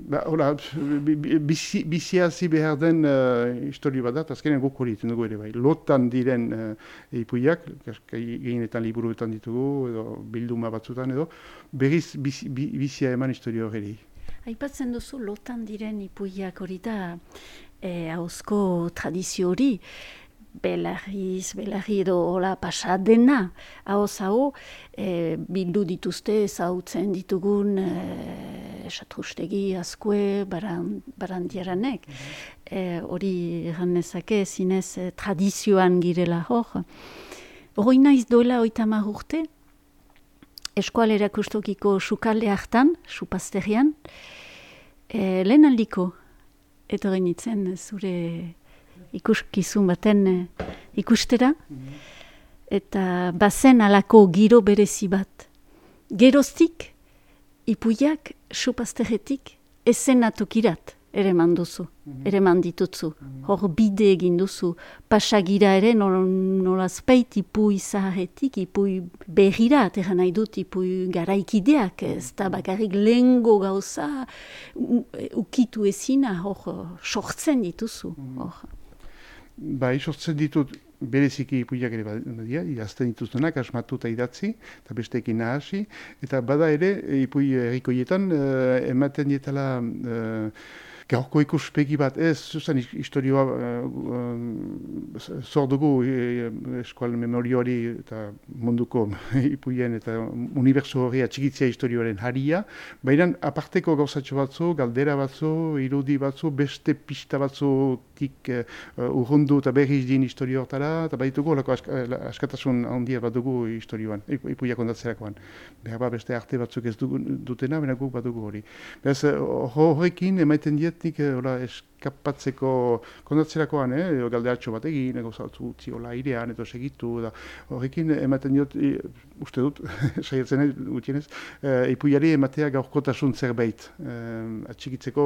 Hola, biziazi behar den historio bat da, azkenean guk hori iten dugu ere bai. Lotan diren ipuiak, gehienetan liburuetan ditugu, edo bilduma batzutan edo, berriz bizia eman historio hori. Aipatzen duzu lotan diren ipuiak hori da, ahozko tradizio hori, belarri edo hola pasadena, ahoz bildu dituzte ezagutzen ditugun Satrustegi, Azkue, Barandiaranek. Hori egan nezake zinez tradizioan girela hor. Hori naiz doela 30 urte, Eskual Erakustokiko sukalde hartan, supazterian, lehen aldiko, etorri nintzen zure ikuskizun baten ikustera, eta bazen alako giro berezi bat. Geroztik, ipuiak supazteretik ezenatokirat ere manduzu, ere manditutzu. Hor bide egin duzu, pasagira ere nolazpeit ipui zaharretik, ipui berrirat, eran nahi dut ipui garaikideak, ez da bakarrik lehengo gauza ukitu ezina, hor sortzen dituzu. Bai, sortzen ditut bereziki ipuiak ere badia, idazten dituztenak, asmatu eta idatzi, eta besteekin nahasi, eta bada ere, ipui errikoietan, ematen dietala gaurko ikuspegi bat, ez, zuzan historioa zor dugu eskual memorioari eta munduko ipuien eta unibertso hori atxikitzea historioaren haria, baina aparteko gauzatxo batzu, galdera batzu, irudi batzu, beste pista batzutik urrundu eta berriz din historio hortara, eta baditugu olako askatasun handia bat dugu historioan, ipuiak ondatzerakoan. Behar ba beste arte batzuk ez dutena, baina guk badugu hori. Beraz, horrekin emaiten diet nik eskapatzeko kondatzerakoan, galderatxo bat egin, gauzatzu utzi hola airean, edo segitu, da horrekin ematen diot, uste dut, saiatzen gutienez, ipuiari ematea gaurkotasun zerbait, atxikitzeko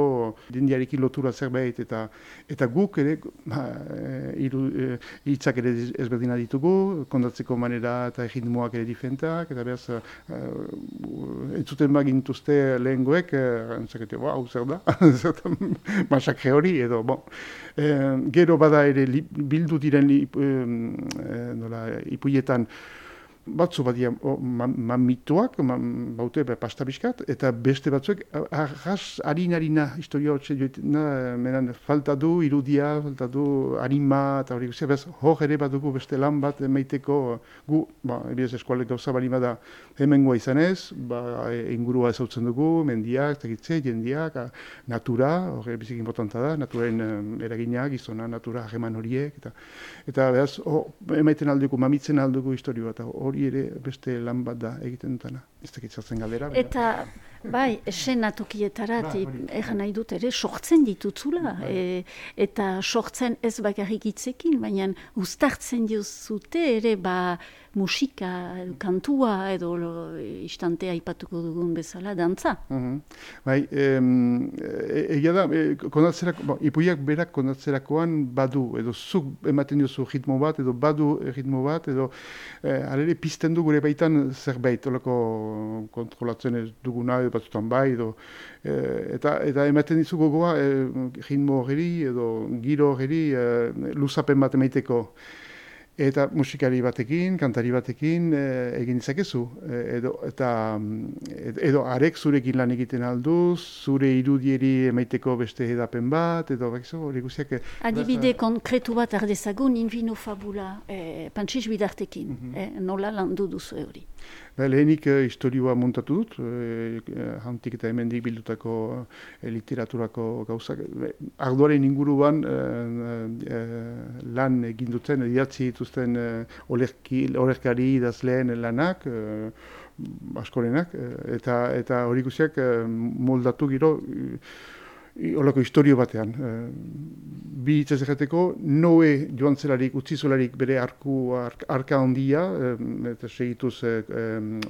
dindiarekin lotura zerbait, eta guk ere, hitzak ere ezberdina ditugu, kondatzeko manera eta egitmoak ere diferentak, eta behaz, entzuten bagintuzte lehengoek, entzakete, hau zer da, masakre hori, edo, gero bada ere bildu diren ipuietan batzu badia mamituak, baute pastabiskat, eta beste batzuek arras harina historia hotxe joetena, menan falta du irudia, falta du harima, eta hori guztia, bez hor ere badugu beste lan bat emaiteko gu, ebiaz eskualek gauza balima da hemengoa izanez, ingurua ezautzen dugu, mendiak, tegitze, jendiak, natura, hori bizik importanta da, naturaren eragina, gizona, natura, hageman horiek, eta behaz, emaiten aldugu, mamitzen aldugu historioa, eta hori ere beste lan bat da egiten dutana. Ez dakitzatzen galdera. Eta, bai, esenatokietarat, egan nahi dut ere, sortzen ditutzula. Eta sortzen ez bakarrik hitzekin, baina uztartzen dizute ere, musika, kantua, edo istantea aipatuko dugun bezala, dantza. Bai, egia da, ipuiak berak kondatzerakoan badu, edo zuk ematen diozu ritmo bat, edo badu ritmo bat, edo alere pizten du gure baitan zerbait, olako kontrolatzen ez duguna, edo batzutan bai, edo eta ematen dizu gogoa ritmo hori, edo giro hori, luzapen bat emaiteko. Eta musikari batekin, kantari batekin egin ditzakezu. Edo arek zurekin lan egiten aldu, zure irudieri emaiteko beste edapen bat, edo hori guztiak... Adibide konkretu bat ardezagun, Invino Fabula, Pantsiz Bidartekin, nola landu duzu hori. Lehenik historioa montatu dut, hantik eta hemendik bildutako literaturako gauzak. Ardoaren inguruan lan egin duten, idatzi dituzten olerkari idazleen lanak, askorenak, eta hori guztiak moldatu gero holako historio batean. Bi hitzez egiteko, Noe joan zelarik, utzi zelarik bere arka handia, eta segituz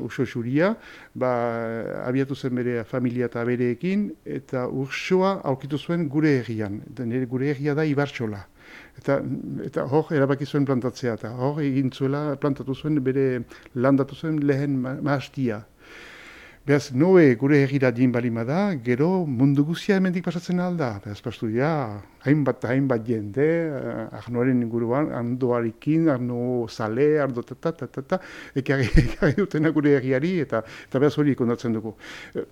Urso xuria, abiatu zen bere familia eta bereekin, eta Ursoa aurkitu zuen gure herrian. Gure herria da Ibartxola. Eta hor erabaki zuen plantatzea, eta hor egin zuela plantatu zuen bere landatu zuen lehen mahastia. Beraz, Noe gure herrira din balimada, gero mundu guzia hemendik pasatzen alda. Beraz, pastu dira, hainbat jende, Arnoaren inguruan, Arnoarekin, Arno Zale, Arno ekarri dutena gure herriari, eta beraz hori kondatzen dugu.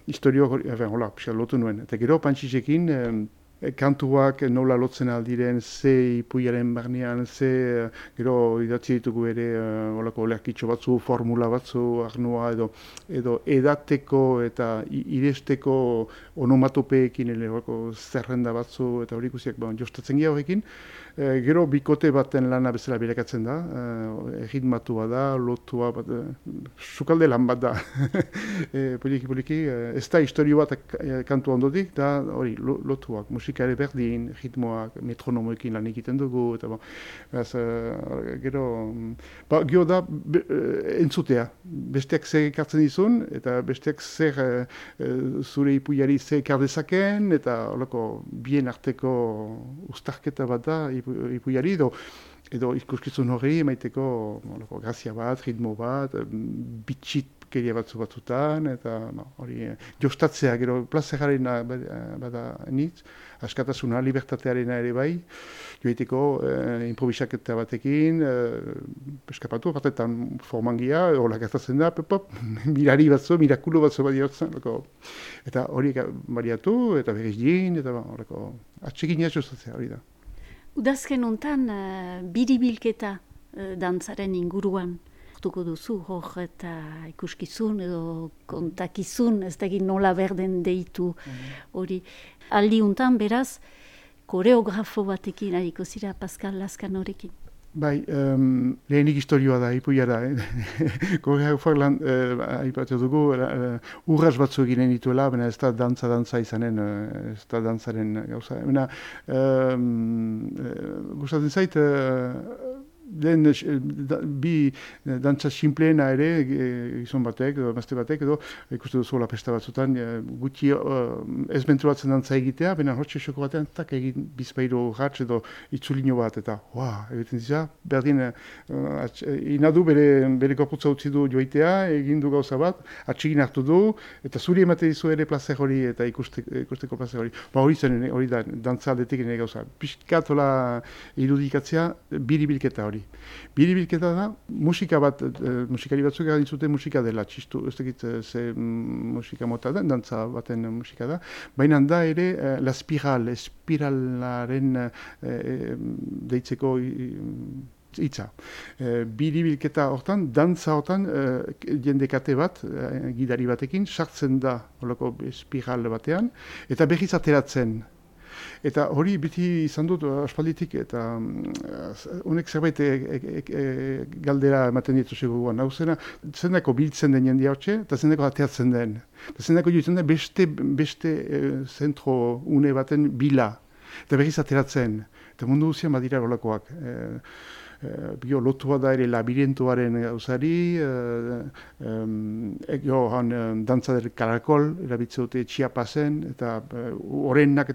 Historio hori, hola, lotu nuen. Eta gero, Pantxisekin, kantuak nola lotzen aldiren, ze ipuiaren barnean, ze gero idatzi ditugu ere olako olerkitxo batzu, formula batzu, Arnoa edo edateko eta iresteko onomatopeekin zerrenda batzu eta hori ikusiak jostatzen gira horrekin. Gero bikote baten lana bezala bilakatzen da, erritmatua da, lotua bat, sukalde lan bat da. Poliki, ez da historio bat kantu ondotik, da hori lotuak, musika ere berdin, ritmoak, metronomoekin lan egiten dugu, eta gero da entzutea, besteak zer ekartzen dizun, eta besteak zer zure ipuiari zer ekar dezaken, eta bien arteko ustarketa bat da, ipuiari edo ikuskizun hori emaiteko grazia bat, ritmo bat, bitxitkeria batzutan, eta hori jostatzea, gero plazeraren bada nitz, askatasuna, libertatearena ere bai, joiteko improvisaketa batekin, eskapatu, batetan formangia, hola gertatzen da, mirari batzu, mirakulo batzu bat diotzen, eta hori bariatu, eta berriz din, eta atxekin jostatzea hori da. Udazken hontan biribilketa dantzaren inguruan hartuko duzu, hor eta ikuskizun edo kontakizun, ez dakit nola berden deitu hori. Aldi hontan beraz, koreografo batekin hariko zira Pascal Lazkanorekin. Bai, lehenik historioa da, ipuia da. Koreografoak lan aipatu dugu, urras batzu eginen dituela, baina ez da dantza izanen, ez da dantzaren gauza. Gustatzen zait, bi dantza simpleena ere, gizon batek, edo emazte batek, edo ikuste duzu pesta batzutan, gutxi ez mentruatzen dantza egitea, baina hortxe xoko batean, tak egin bizpairo ratz edo itzulino bat, eta egiten dira, berdin, inadu bere korputza utzi du joitea, egin du gauza bat, atxigin hartu du, eta zuri emate dizu ere plazer hori, eta ikusteko plazer hori. Hori zen, hori da, dantza aldetik ere gauza. Piskat hola irudikatzea, biribilketa hori. Biribilketa da, musikari batzuk egin zuten musika dela, txistu, ez dakit ze musika mota da, dantza baten musika da, baina da ere la espiralaren deitzeko hitza. Biribilketa hortan, dantza hortan, jendekate bat, gidari batekin, sartzen da holako espiral batean, eta berriz ateratzen. Eta hori beti izan dut aspalditik, eta honek zerbait galdera ematen ditu seguruan. Hau zendako biltzen den jendia hotxe, eta zendako ateatzen den. Eta zendako joitzen den beste zentro une baten bila, eta berriz ateratzen. Eta mundu guzian badira holakoak. Bio lotua da ere labirintoaren gauzari, dantza del karakol, erabitze dute Chiapasen, eta horrenak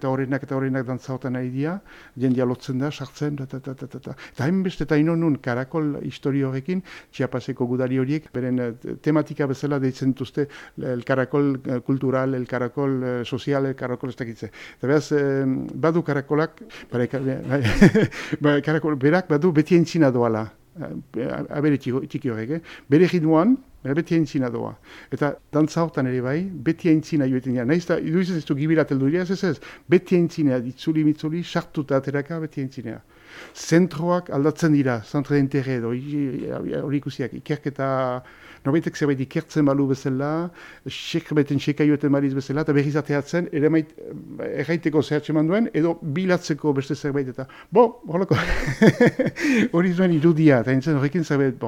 dantza hotan nahi dira, jendia lotzen da, sartzen, eta hainbeste eta inonun karakol historio horrekin, Chiapaseko gudari horiek, beren tematika bezala deitzen dituzte el karakol kultural, el karakol sozial, el karakol ez dakitze. Eta behaz, badu karakolak, berak badu beti entzina doala, abere txiki horrek, bere ritmoan, beti entzina doa. Eta dantza hortan ere bai, beti entzina joetan dira. Nahiz da, iduiz ez du gibirat elduria, ez, beti entzina, ditzuli-mitzuli, sartuta ateraka, beti entzina. Zentroak aldatzen dira, zentre d'interre edo, hori ikusiak, ikerketa, norbaitek zerbait ikertzen balu bezala, sekrabeten sekaioeten baliz bezala, eta berriz ateatzen, erraiteko zehatxe manduen, edo bilatzeko beste zerbait, eta, horrelako, hori zuen irudia, eta entzen horrekin zerbait,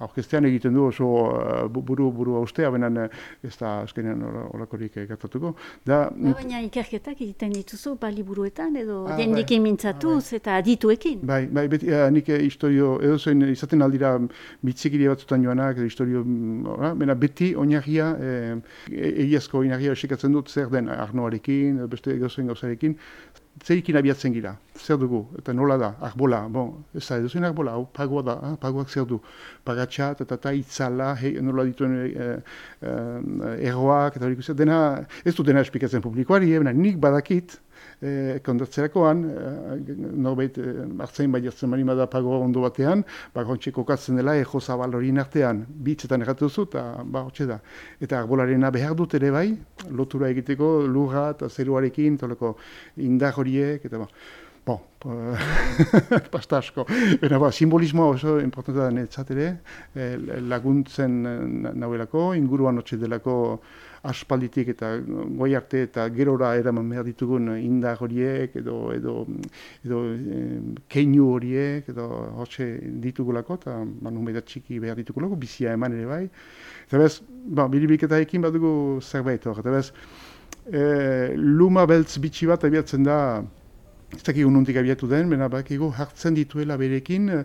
orkestean egiten du oso buru haustea, benen ez da azkenean horrekorik gertatuko. Baina ikerketak egiten dituzu, baliburuetan, edo jendekin mintzatuz, eta adituekin. Bai, beti, nik historio, edo zuen izaten aldira bitzikiri batzutan joanak, baina beti oinarria, egiazko oinarria esikatzen dut zer den Arnoarekin, beste egozoen gauzarekin, zeikin abiatzen gira, zer dugu, eta nola da, arbola, bon, ez da eduzien arbola, hau pagoa da, pagoak zer du, pagatxat, eta itzala, nola dituen erroak, eta hori dena, ez du dena esplikatzen publikoari, nik badakit, kondatzerakoan, norbait hartzain bai jartzen bali da pagoa ondo batean, hontxe kokatzen dela ejo zabal horien artean, bitzetan erratu duzu, eta hortxe da. Eta arbolarena behar dut ere bai, lotura egiteko lurra eta zeruarekin, toleko indar horiek, eta pasta asko. Simbolismoa oso importanta da netzat ere, laguntzen nauelako, inguruan hotxe delako aspalditik eta goi arte eta gerora eraman behar ditugun indar horiek edo keinu horiek edo hotxe ditugulako eta numeda txiki behar ditugulako, bizia eman ere bai. Eta bez, biribiketaekin badugu zerbait hor. Eta bez, luma beltz bitxi bat abiatzen da, ez dakigu nondik abiatu den, baina bakigu hartzen dituela berekin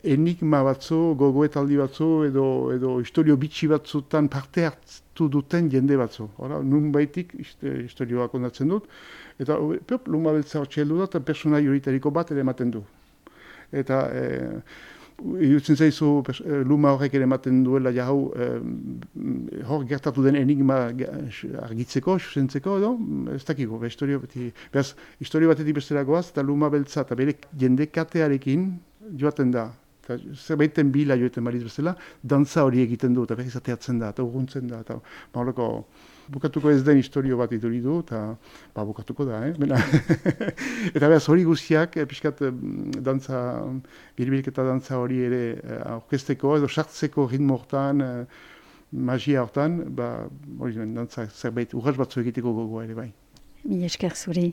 enigma batzu, gogoetaldi batzu edo historio bitxi batzutan parte hartu duten jende batzu. Nun baitik historioa kondatzen dut, eta luma beltza hortxe heldu da, eta personai horitariko bat ere ematen du. Eta irutzen zaizu luma horrek ere ematen duela hau hor gertatu den enigma argitzeko, zuzentzeko edo, ez dakigu, historio batetik besteragoaz, eta luma beltza eta bere jende katearekin joaten da. Zerbaiten bila joeten baliz bezala, dantza hori egiten du, eta berriz ateatzen da, eta urguntzen da, eta bukatuko ez den historio bat iduri du, eta bukatuko da, Eta behaz hori guztiak, pixkat dantza, biribilketa dantza hori ere orkesteko edo sartzeko ritmo hortan, magia hortan, hori dantza zerbait urras batzu egiteko gogoa ere bai. Mila esker zuri.